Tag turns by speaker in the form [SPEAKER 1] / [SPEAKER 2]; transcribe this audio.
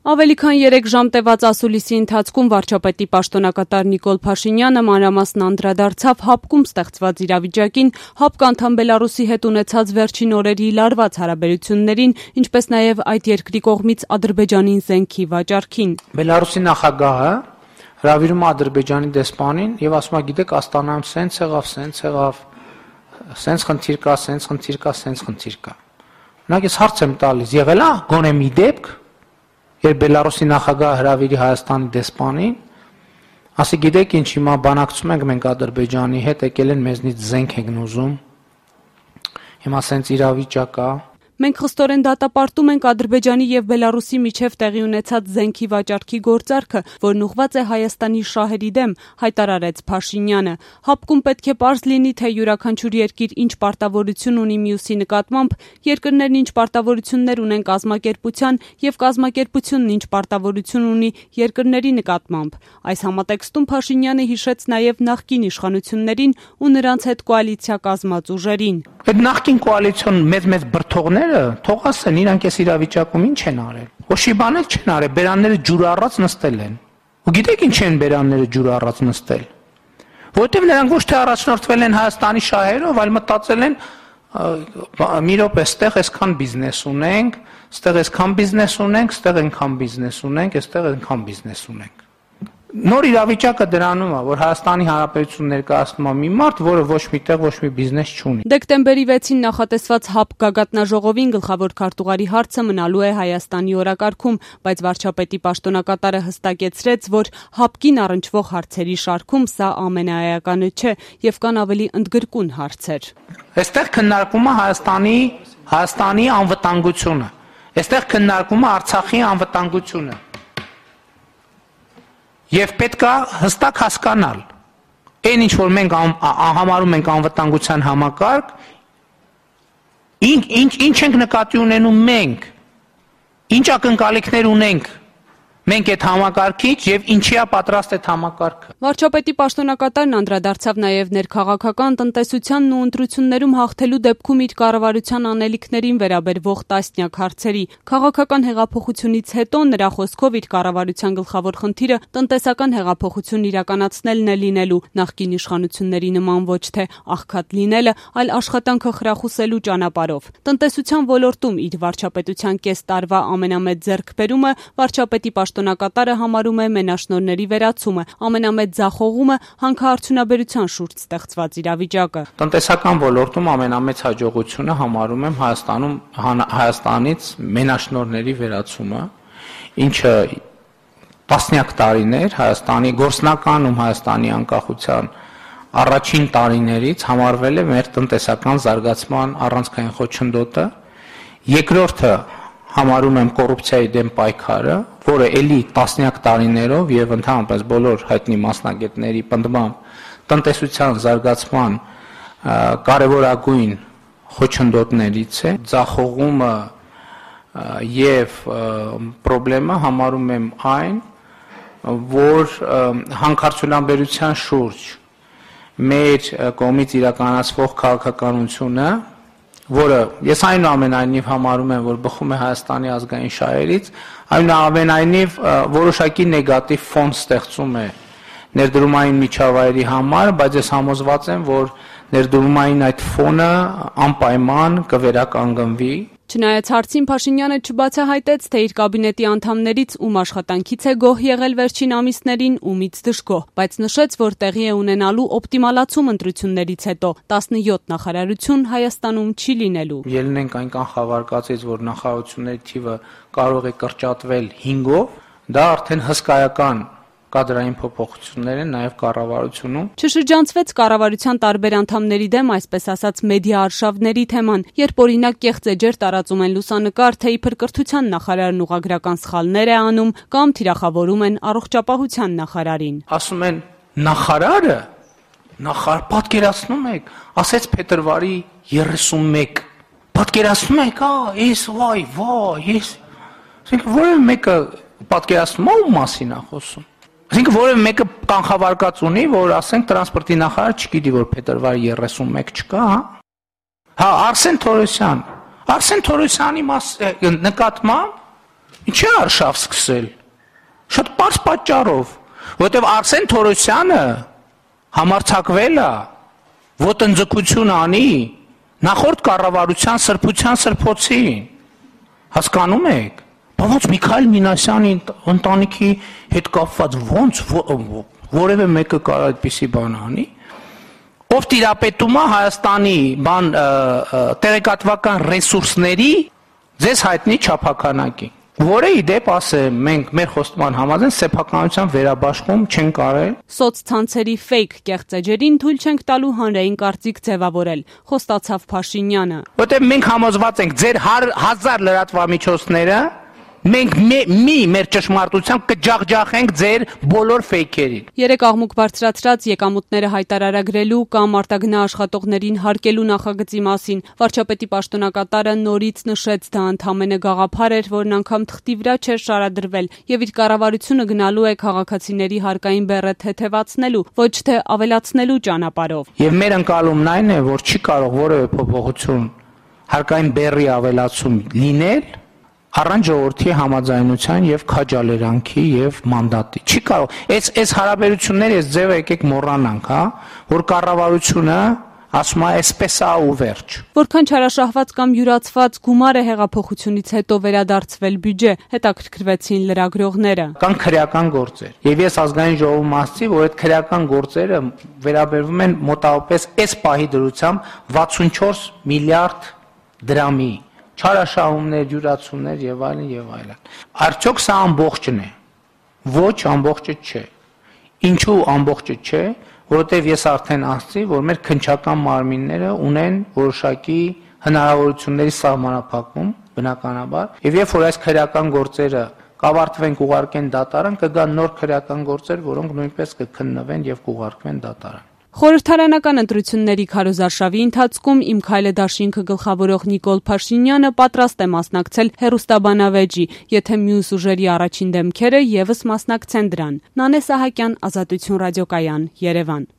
[SPEAKER 1] Ավելի քան 3 ժամ տևած ասուլիսի ընթացքում վարչապետի պաշտոնակատար Նիկոլ Փաշինյանը մանրամասն անդրադարձավ ՀԱՊԿ-ում ստեղծված իրավիճակին, ՀԱՊԿ անդամ Բելարուսի հետ ունեցած վերջին օրերի լարված հարաբերություններին, ինչպես նաև այդ երկրի կողմից Ադրբեջանին զենքի վաճառքին։
[SPEAKER 2] Բելարուսի նախագահը հրավիրում է Ադրբեջանի դեսպանին եւ ասում է, գիտեք, Աստանայում սենց խնդիր կա։ Մենակ ես հարց եմ տալիս, եղել է գոնե մի դեպք, երբ Բելարուսի նախագահը հրավիրի Հայաստանի դեսպանին, ասի, գիտեք ինչ, հիմա բանակցում ենք մենք Ադրբեջանի հետ, եկել են մեզնից զենք ենք ուզում, հիմա սենց իրավիճակ կա։
[SPEAKER 1] Մենք խստորեն դատապարտում ենք Ադրբեջանի եւ Բելարուսի միջև տեղի ունեցած զենքի վաճառքի գործարքը, որն ուղղված է Հայաստանի շահերի դեմ, հայտարարեց Փաշինյանը։ ՀԱՊԿ-ում պետք է պարզ լինի, թե յուրաքանչյուր երկիր ինչ պարտավորություն ունի մյուսի նկատմամբ, երկրներն ինչ պարտավորություններ ունեն կազմակերպության եւ կազմակերպությունն ինչ պարտավորություն ունի երկրների նկատմամբ։ Այս համատեքստում Փաշինյանը հիշեց նաեւ նախկին իշխանություններին ու նրանց հետ կոալիցիա կազմած ուժերին։
[SPEAKER 2] Այդ նախկին կոալիցիոն մեծ բրդողները թող ասեն, իրանք այս իրավիճակում ինչ են արել։ Ոչի բան չեն արել, բերանները ջուր առած նստել են։ Ու գիտեք ինչ են բերանները ջուր առած նստել։ Որտեւ նրանք ոչ թե առաջնորդվել են Հայաստանի շահերով, այլ մտածել են մի րոպե, այստեղ այսքան բիզնես ունենք, այստեղ այսքան բիզնես ունենք, այստեղ այնքան բիզնես ունենք, այստեղ այնքան բիզնես ունենք։ Նոր իրավիճակը դրանում է, որ Հայաստանի Հանրապետություն ներկայացնում է մի մարդ, որը ոչ միտեղ ոչ մի բիզնես չունի։
[SPEAKER 1] Դեկտեմբերի 6-ին նախատեսված ՀԱՊԿ գագաթնաժողովին գլխավոր քարտուղարի հարցը մնալու է Հայաստանի օրակարգում, բայց վարչապետի պաշտոնակատարը հստակեցրեց, որ ՀԱՊԿ-ին առնչվող հարցերի շարքում սա ամենաէականը չէ եւ կան ավելի ընդգրկուն հարցեր։
[SPEAKER 2] Այստեղ քննարկվում է Հայաստանի անվտանգությունը։ Այստեղ քննարկվում է Արցախի անվտանգությունը։ Եվ պետք է հստակ հասկանալ, այն ինչ որ մենք համարում ենք անվտանգության համակարգ, ինչ ենք նկատի ունենում մենք, ինչ ակնկալիքներ ունենք մենք այդ համակարգից եւ ինչի է պատրաստ այդ համակարգը։
[SPEAKER 1] Վարչապետի պաշտոնակատարն անդրադարձավ նաեւ ներքաղաքական տնտեսությանն ու ընտրություններում հաղթելու դեպքում իր կառավարության անելիքներին վերաբերվող տասնյակ հարցերի։ Քաղաքական հեղափոխությունից հետո նրա խոսքով իր կառավարության գլխավոր խնդիրը տնտեսական հեղափոխություն իրականացնելն է լինելու, նախկին իշխանությունների նման ոչ թե աղքատ լինելը, այլ աշխատանքը խրախուսելու ճանապարհով։ Տնտեսության ոլորտում իր վարչապետության կես տարվա ամենամեծ ձեռքբերումը վարչապետի պաշտոնակատարը համարում է մենաշնորհների վերացումը, ամենամեծ ձախողումը հանքարդյունաբերության շուրջ ստեղծված իրավիճակը։
[SPEAKER 2] Տնտեսական ոլորտում ամենամեծ հաջողությունը համարում եմ Հայաստանից մենաշնորհների վերացումը, ինչը տասնյակ տարիներ Հայաստանի գործնականում Հայաստանի անկախության առաջին տարիներից համարվել է մեր տնտեսական զարգացման առանցքային խոչընդոտը, երկրորդը համարում եմ կոռուպցիայի դեմ պայքարը, որը էլի տասնյակ տարիներով եւ ընդհանրապես բոլոր հայտնի մասնագետների պնդմամբ տնտեսության զարգացման կարևորագույն խոչընդոտներից է, ձախողումը եւ խնդրեմը համարում եմ այն, որ հանքարդյունաբերության շուրջ մեր կողմից իրականացվող քաղաքականությունը, որը ես այնուամենայնիվ համարում եմ, որ բխում է Հայաստանի ազգային շահերից, այնուամենայնիվ որոշակի նեգատիվ ֆոն ստեղծում է ներդրումային միջավայրի համար, բայց ես համոզված եմ, որ ներդրումային այդ ֆոնը անպայման կվերականգնվի։
[SPEAKER 1] Չնայած հարցին Փաշինյանը չբացահայտեց, թե իր կաբինետի անդամներից ում աշխատանքից է գոհ եղել վերջին ամիսներին, ումից դժգոհ, բայց նշեց, որ տեղի է ունենալու օպտիմալացում ընտրություններից հետո, 17 նախարարություն Հայաստանում չի լինելու։
[SPEAKER 2] Ելնենք այն կանխավարկածից, որ նախարարությունների թիվը կարող է կրճատվել 5-ով, դա արդեն հսկայական կադրային փոփոխություններ են նաև կառավարությունում։
[SPEAKER 1] Չշրջանցվեց կառավարության տարբեր անդամների դեմ, այսպես ասած, մեդիա արշավների թեման, երբ օրինակ կեղծ էջեր տարածում են լուսանկար, թե իբր կրթության նախարարն ուղղագրական սխալներ է անում կամ թիրախավորում են առողջապահության նախարարին։
[SPEAKER 2] Ասում են նախարարը, պատկերացնում եք, ասեց փետրվարի 31, պատկերացնում եք, ես որևէ մեկը պատկերացնում ո՞մ մասին է խոսում։ Այսինքն որևէ մեկը կանխավարկած ունի, որ ասենք տրանսպորտի նախարար չգիտի, որ փետրվարի 31 չկա, հա։ Արսեն Թորոսյանի նկատմամբ Ինչի արշավ սկսել։ Շատ պարզ պատճառով, որովհետև Արսեն Թորոսյանը համարձակվել է ոտնձգություն անի նախորդ կառավարության սրբության սրբոցին։ Հասկանում եք։ Բայց Միքայել Մինասյանի ընտանիքի հետ կապված ոնց որևէ մեկը կարող այդպիսի բան անի, ով տիրապետում է Հայաստանի տեղեկատվական ռեսուրսների ձեզ հայտնի չափականակի, որը իդեպ ասեմ, մենք մեր խոստման համաձայն սեփականության վերաբաշխում չենք արել։
[SPEAKER 1] Սոցցանցերի ֆեյք կեղծ էջերին թույլ չենք տալու հանրային կարծիք ձևավորել, խոստացավ Փաշինյանը։
[SPEAKER 2] Որտեղ մենք համոզված ենք, ձեր 1000 լրատվամիջոցները մենք մեր ճշմարտությամբ կջախջախենք ձեր բոլոր ֆեյքերին։
[SPEAKER 1] Երեք աղմուկ բարձրացրած եկամուտները հայտարարագրելու կամ արտագնա աշխատողներին հարկելու նախագծի մասին վարչապետի պաշտոնակատարը նորից նշեց, դա ընդամենը գաղափար էր, որն անգամ թղթի վրա չէր շարադրվել եւ իր կառավարությունը գնալու է քաղաքացիների հարկային բեռը թեթևացնելու, ոչ թե ավելացնելու ճանապարհով։
[SPEAKER 2] Եվ մեր ընկալումն այն է, որ չի կարող որևէ փոփոխություն հարկային բեռի ավելացում լինել առանց ժողովրդի համաձայնության եւ քաջալերանքի եւ մանդատի։ Չի կարող։ Այս հարաբերությունները այս ձևը եկեք մոռանանք, հա, որ կառավարությունը ասում է այսպես է ու վերջ։
[SPEAKER 1] Որքան չարաշահված կամ յուրացված գումար է հեղափոխությունից հետո վերադարձվել բյուջե, հետաքրքրվեցին լրագրողները։
[SPEAKER 2] Կան քրեական գործեր։ Եվ ես ազգային ժողովում ասացի, որ այդ քրեական գործերը վերաբերվում են մոտավորապես այս պահի դրությամբ 64 միլիարդ դրամի։ Չարաշահումներ, յուրացումներ եւ այլն եւ այլն։ Արդյոք սա ամբողջն է։ Ոչ, ամբողջը չէ։ Ինչու ամբողջը չէ, որովհետեւ ես արդեն ասացի, որ մեր քննչական մարմինները ունեն որոշակի հնարավորությունների սահմանափակում, բնականաբար, եւ երբ որ այս քրեական գործերը կավարտվեն, կուղարկեն դատարան, կգան նոր քրեական գործեր, որոնք նույնպես կքննվեն եւ կուղարկվեն դատարան։
[SPEAKER 1] Խորհրդարանական ընտրությունների քարոզարշավի ընթացքում Իմ Քայլը դաշինքը գլխավորող Նիկոլ Փաշինյանը պատրաստ է մասնակցել հեռուստաբանավեճի, եթե մյուս ուժերի առաջին դեմքերը եւս մասնակցեն դրան։ Նանե Սահակյան, Ազատություն ռադիոկայան, Երևան։